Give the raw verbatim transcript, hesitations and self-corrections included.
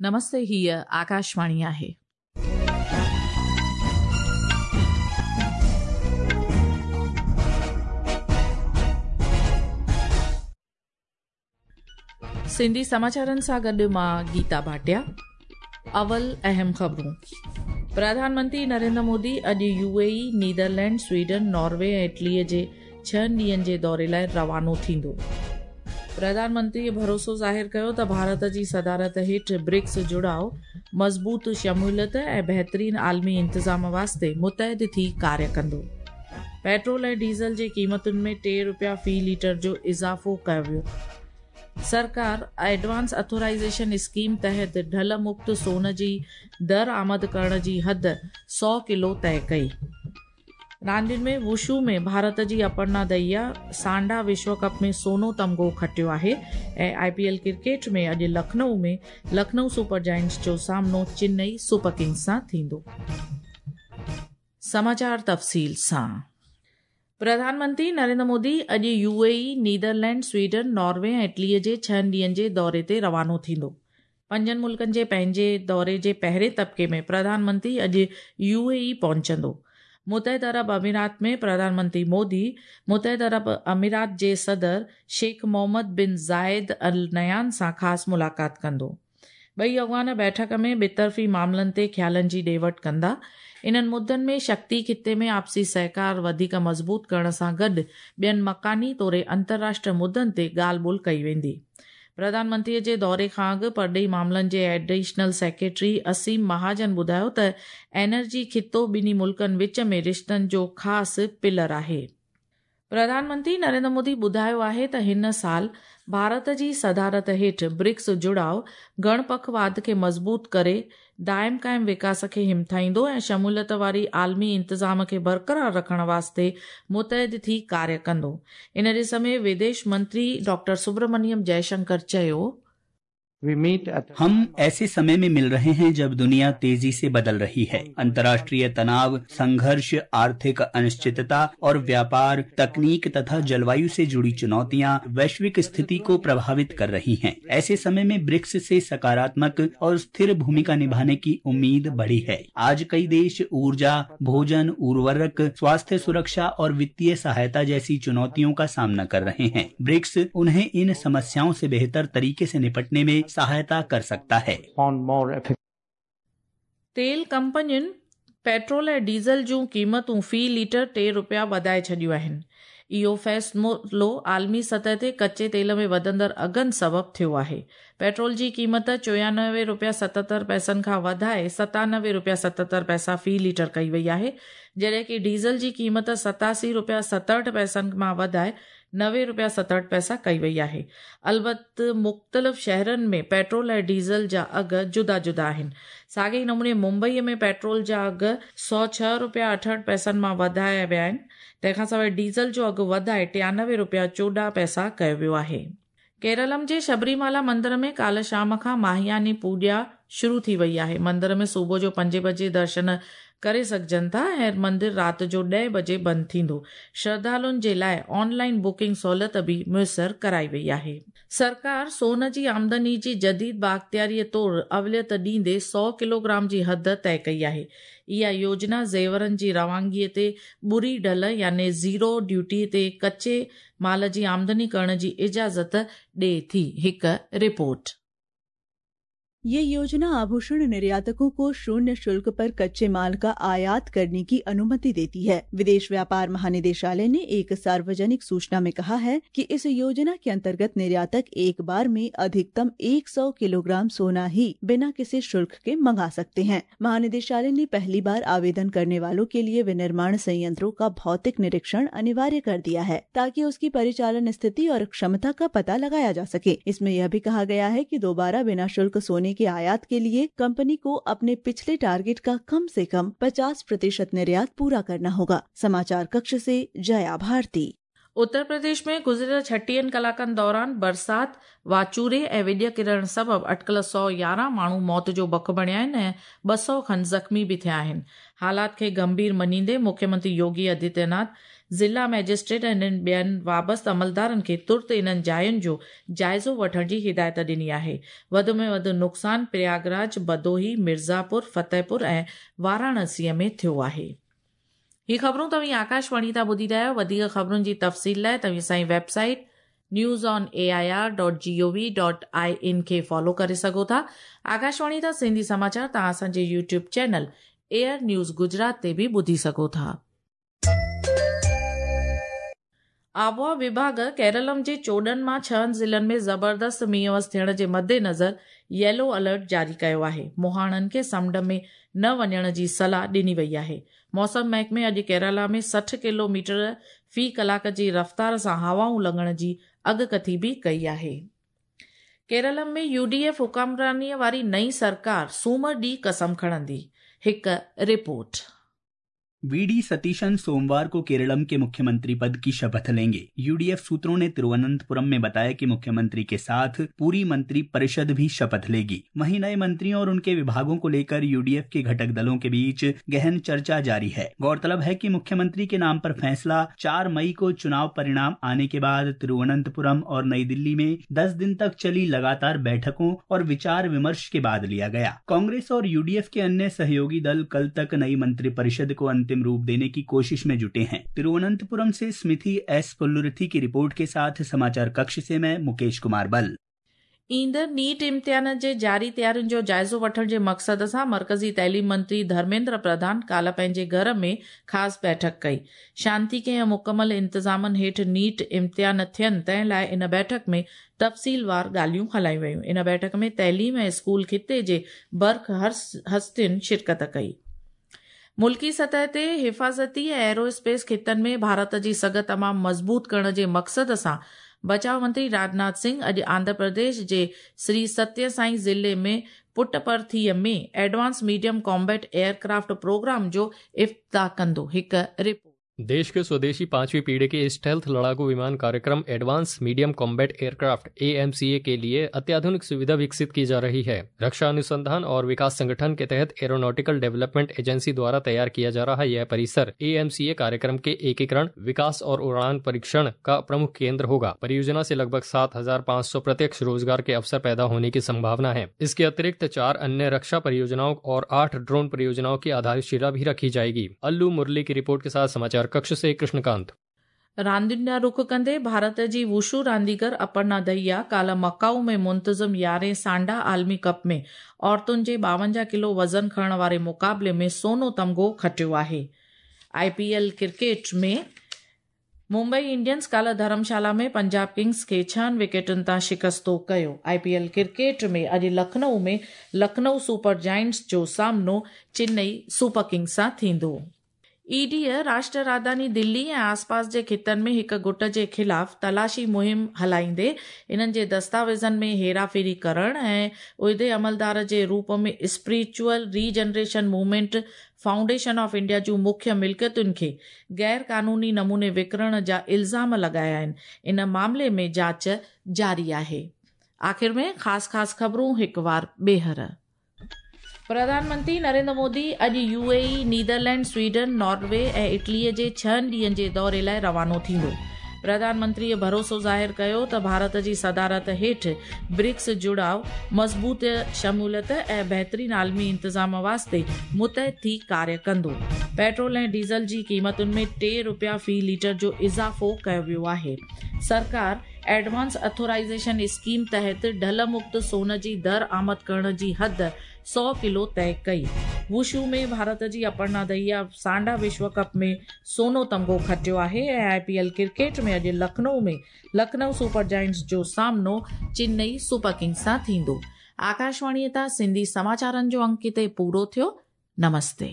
नमस्ते, हीअ आकाशवाणी आहे। सिंधी समाचारनि सां गॾु मां गीता भाटिया। अवल अहम ख़बरूं। प्रधानमंत्री नरेंद्र मोदी अॼु यूएई, नीदरलैंड, स्वीडन, नॉर्वे ऐं इटलीअ जे छहनि ॾींहंनि जे दौरे लाइ रवानो थींदो। प्रधानमंत्री भरोसो ज़ाहिर कयो त भारत जी सदारत हेठि ब्रिक्स जुड़ाव मज़बूत शमूलियत ऐं बहितरीन आलमी इंतज़ाम वास्ते मुतहद थी कार्य कंदो। पेट्रोल ऐं डीज़ल जे क़ीमतुनि में टे रुपया फ़ी लीटर जो इज़ाफ़ो कयो वियो। सरकार एडवांस अथोराइज़ेशन स्कीम तहत ढल मुक्त सोन जी दरआमद करण जी हद सौ किलो तय कई। रांदियुनि में वुशू में भारत जी अपर्णा दहिया सांडा विश्व कप में सोनो तमगो खटियो आहे ऐं आईपीएल क्रिकेट में अॼु लखनऊ में लखनऊ सुपर जायंट्स जो सामनो चेन्नई सुपर किंग्स सां थींदो। समाचार तफ़सील सां। प्रधानमंत्री नरेंद्र मोदी अॼु यूएई, नीदरलैंड, स्वीडन, नॉर्वे ऐं इटलीअ जे छहनि ॾींहंनि जे दौरे ते रवानो थींदो। पंजनि मुल्कनि जे पंहिंजे दौरे जे पहिरें तबिके में प्रधानमंत्री अॼु यूएई पहुचंदो। मुतहद अरब अमीरात में प्रधानमंत्री मोदी मुतहद अरब अमीरात जे सदर शेख मोहम्मद बिन ज़ायद अल नयान सां ख़ासि मुलाक़ात कंदो। ॿई अॻवान बैठक में ॿितरफ़ी मामलनि ते ख़्यालनि जी ॾे वठि कंदा। इन्हनि मुद्दनि में शक्ति ख़िते में आपसी सहकार वधीक मज़बूत करण सां गॾु ॿियनि मकानी तौरे अंतर्राष्ट्रीय मुद्दनि ते ॻाल्हि ॿोल कई वेंदी। प्रधानमंत्रीअ जे दौरे खां अॻु परॾेही मामलनि जे एडिशनल सेक्रेटरी असीम महाजन ॿुधायो त एनर्जी ख़ितो ॿिन्ही मुल्कनि विच में रिश्तनि जो ख़ासि पिलर आहे। प्रधानमंत्री नरेंद्र मोदी ॿुधायो आहे त हिन साल भारत जी सदारत हेठि ब्रिक्स जुड़ाव गणपखवाद खे मज़बूत करे दाइम क़ाइम विकास खे हिमथाईंदो ऐं शमूलियत वारी आलमी इंतज़ाम खे बरक़रार रखण वास्ते मुतहद थी कार्य कंदो। इन ॾिस में विदेश मंत्री डॉक्टर सुब्रमण्यम जयशंकर चयो, हम ऐसे समय में मिल रहे हैं जब दुनिया तेजी से बदल रही है। अंतर्राष्ट्रीय तनाव, संघर्ष, आर्थिक अनिश्चितता और व्यापार, तकनीक तथा जलवायु से जुड़ी चुनौतियां वैश्विक स्थिति को प्रभावित कर रही हैं। ऐसे समय में ब्रिक्स से सकारात्मक और स्थिर भूमिका निभाने की उम्मीद बढ़ी है। आज कई देश ऊर्जा, भोजन, उर्वरक, स्वास्थ्य सुरक्षा और वित्तीय सहायता जैसी चुनौतियों का सामना कर रहे हैं। ब्रिक्स उन्हें इन समस्याओं से बेहतर तरीके से निपटने में सहायता कर सकता है। तेल कंपनियुनि पेट्रोल ऐं डीज़ल जूं क़ीमतूं फ़ी लीटर टे रुपया वधाए छॾियूं आहिनि। इहो फ़ैसिलो आलमी सतह ते कच्चे तेल में वधंदड़ अघनि सबबु थियो आहे। पेट्रोल जी क़ीमत चोयानवे रुपया सतहतरि पैसनि खां वधाए सतानवे रुपया सतहतरि पैसा फ़ी लीटर कई वई आहे, जॾहिं की डीज़ल जी क़ीमत सतासी रुपया सतहठि पैसनि मां वधाए नवे रुपया सतहठि पैसा कई वई आहे। अलबत मुख़्तलिफ़ शहरनि में पेट्रोल ऐं डीज़ल जा अघ जुदा जुदा आहिनि। साॻे ई नमूने मुंबईअ में पेट्रोल जा अघ सौ छह रुपया अठहठि पैसनि मां वधाया विया आहिनि। तंहिंखां सवाइ डीज़ल जो अघु वधाए टियानवे रुपया चोॾहं पैसा कयो वियो आहे। केरलम जे शबरीमाला मंदिर में काल शाम खां माहियानी पूॼा शुरू थी वई आहे। मंदिर में सुबुह जो पंजे बजे दर्शन करे सघजनि था ऐं मंदिर राति जो ॾह बजे बंदि थींदो। श्रद्धालुनि जे लाइ ऑनलाइन बुकिंग सहूलियत बि मुयसर कराई वई आहे। सरकार सोन जी आमदनी जी जदीद बाख़्तियारीअ तौर अवलियत ॾींदे सौ किलोग्राम जी हद तय कई आहे। इहा योजना ज़ेवरनि जी रवानगीअ ते ॿुरी ढल यानी ज़ीरो ड्यूटी ते कच्चे माल जी आमदनी करण जी इजाज़त ॾिए थी। हिकु रिपोर्ट। ये योजना आभूषण निर्यातकों को शून्य शुल्क पर कच्चे माल का आयात करने की अनुमति देती है। विदेश व्यापार महानिदेशालय ने एक सार्वजनिक सूचना में कहा है कि इस योजना के अंतर्गत निर्यातक एक बार में अधिकतम सौ किलोग्राम सोना ही बिना किसी शुल्क के मंगा सकते हैं। महानिदेशालय ने पहली बार आवेदन करने वालों के लिए विनिर्माण संयंत्रों का भौतिक निरीक्षण अनिवार्य कर दिया है ताकि उसकी परिचालन स्थिति और क्षमता का पता लगाया जा सके। इसमें यह भी कहा गया है कि दोबारा बिना शुल्क सोने के आयात के लिए कंपनी को अपने पिछले टारगेट का कम से कम पचास प्रतिशत निर्यात पूरा करना होगा। समाचार कक्ष से जया भारती। उत्तर प्रदेश में गुज़िरियल छटीहनि कलाकनि दौरान बरसात, वाचूरे ऐं विॼ किरण सबबु अटकल सौ यारहं माण्हू मौत जो बक बणिया आहिनि ऐं ॿ सौ खनि ज़ख़्मी बि थिया आहिनि। हालात खे गंभीर मञींदे मुख्यमंत्री योगी आदित्यनाथ ज़िला मैजिस्ट्रेट ऐं ॿियनि वाबस्ता अमलदारनि खे तुर्त इन्हनि जायुनि जो जाइज़ो वठण जी हिदायत ॾिनी आहे। वधि में वधि नुक़सानु प्रयागराज, भदोही, मिर्ज़ापुर, फतेहपुर ऐं वाराणसीअ में थियो आहे। ही ख़बरूं तव्हीं आकाशवाणी तां ॿुधी रहिया आहियो। वधीक ख़बरुनि जी तफ़सील लाइ तव्हीं असांजी website news on A I R dot G O V dot I N खे फॉलो करे सघो था। आकाशवाणी तां सिंधी समाचार तव्हां असांजे YouTube channel AIR news Gujarat ते बि ॿुधी सघो था। आबहावा विभाग केरलम जे चोॾहं मां छहनि ज़िलनि में ज़बरदस्त मींहुं वस थियण जे मद्देनज़र येलो अलर्ट जारी कयो आहे। मुहाणनि खे समुंड में न वञण जी सलाह ॾिनी वई आहे। मौसम महकमे अॼु केरला में सठि किलोमीटर फ़ी कलाक जी रफ़्तार सां हवाऊं लॻण जी अॻकथी बि कई आहे। केरलम में यूडीएफ हुकुमरानीअ वारी नई सरकार सूमर ॾींहुं कसम खणंदी। हिकु रिपोर्ट। We D Satheesan सोमवार को केरलम के मुख्यमंत्री पद की शपथ लेंगे। यूडीएफ सूत्रों ने तिरुवनंतपुरम में बताया कि मुख्यमंत्री के साथ पूरी मंत्री परिषद भी शपथ लेगी। वहीं नए मंत्रियों और उनके विभागों को लेकर यूडीएफ के घटक दलों के बीच गहन चर्चा जारी है। गौरतलब है कि मुख्यमंत्री के नाम पर फैसला चार मई को चुनाव परिणाम आने के बाद तिरुवनंतपुरम और नई दिल्ली में दस दिन तक चली लगातार बैठकों और विचार विमर्श के बाद लिया गया। कांग्रेस और यूडीएफ के अन्य सहयोगी दल कल तक नई मंत्री परिषद को अंतिम रूप देने की कोशिश में जुटे हैं। तिरुवनंतपुरम से स्मिथि एस पुल्लुरुथी की रिपोर्ट के साथ समाचार कक्ष से मैं मुकेश कुमार बल। ईंदड़ नीट इम्तिहान जे जारी तयारियुनि जो जाइज़ो वठण जे मक़सद सां मर्कज़ी तइलीम मंत्री धर्मेंद्र प्रधान काल्ह पंहिंजे घर में ख़ासि बैठक कई। शांति ऐं मुकमल इंतज़ामनि हेठि नीट इम्तिहान थियनि तंहिं लाइ इन बैठक में तफ़सीलवार ॻाल्हियूं हलायूं वयूं। इन बैठक में तइलीम ऐं स्कूल ख़िते जे बर्ख हस्तियुनि शिरकत कई। मुल्की सतह ते हिफाज़ती ऐं एरोस्पेस ख़ितनि में भारत जी सघ तमामु मज़बूत करण जे मक़सद सां बचाव मंत्री राजनाथ सिंह अॼु आंध्र प्रदेश जे श्री सत्य साई ज़िले में पुटपर्थीअ में advance medium combat aircraft programme जो इफ्तिताह कंदो। हिकु रिपोर्ट। देश के स्वदेशी पांचवी पीढ़ी के स्टेल्थ लड़ाकू विमान कार्यक्रम advance medium combat aircraft A M C A के लिए अत्याधुनिक सुविधा विकसित की जा रही है। रक्षा अनुसंधान और विकास संगठन के तहत एरोनॉटिकल डेवलपमेंट एजेंसी द्वारा तैयार किया जा रहा यह परिसर ए एम सी ए कार्यक्रम के एकीकरण, विकास और उड़ान परीक्षण का प्रमुख केंद्र होगा। परियोजना से लगभग सात हजार पाँच सौ प्रत्यक्ष रोजगार के अवसर पैदा होने की संभावना है। इसके अतिरिक्त चार अन्य रक्षा परियोजनाओं और आठ ड्रोन परियोजनाओं की आधारशिला भी रखी जाएगी। अल्लू मुरली की रिपोर्ट के साथ समाचार कक्ष से कृष्णकांत। रांदियुनि ॾांहुं रुख कंदे भारत जी वुशू रांदीगर अपर्णा दहिया काल्ह मकाऊ में मुंतज़िम यारहें सांडा आलमी कप में औरतुनि जे ॿावंजाह किलो वज़न खणण वारे मुक़ाबले में सोनो तमगो खटियो आहे। I P L cricket में मुंबई इंडियंस काल्ह धर्मशाला में पंजाब किंग्स खे छहनि विकेटुनि तां शिकस्तो कयो। I P L cricket में अॼु लखनऊ में लखनऊ सुपर जायंट्स जो सामनो चेन्नई सुपर किंग्स सां थींदो। ईडीअ राष्ट्र राजधानी दिल्ली ऐं आसपास जे ख़ितनि में हिकु गुट जे ख़िलाफ़ तलाशी मुहिम हलाईंदे इन्हनि जे दस्तावेज़नि में हेराफेरी करण ऐं उहिदे अमलदार जे रूप में spiritual regeneration movement foundation of India जूं मुख्य मिल्कियतुनि खे गैर कानूनी नमूने विकिणण जा इल्ज़ाम लॻाया आहिनि। इन मामले में जांच जारी आहे। आख़िर में ख़ासि ख़ासि ख़बरूं हिकु वार ॿीहर। प्रधानमंत्री नरेंद्र मोदी अॼु U A E, Netherland, Sweden, Norway ऐं इटलीअ जे छहनि ॾींहंनि जे दौरे लाइ रवानो थींदो। प्रधानमंत्रीअ भरोसो ज़ाहिर कयो त भारत जी सदारत हेठि ब्रिक्स जुड़ाव मज़बूत शमूलियत ऐं बहितरीन आलमी इंतज़ाम वास्ते मुतहद थी कार्य कंदो। पेट्रोल ऐं डीज़ल जी क़ीमतुनि में टे रुपया फ़ी लीटर जो इज़ाफ़ो कयो वियो आहे। सरकार एडवांस अथोराइज़ेशन स्कीम तहत ढल मुक्त सोन जी दर आमद करण जी हद सौ किलो तय कई। वुशू में भारत जी अपर्णा दहिया सांडा विश्व कप में सोनो तमगो खटियो आहे ऐं I P L cricket में अॼु लखनऊ में लखनऊ सुपर जायंट्स जो सामनो चेन्नई सुपर किंग्स सां थींदो। आकाशवाणीअ तां सिंधी समाचारनि जो अंक हिते पूरो थियो। नमस्ते।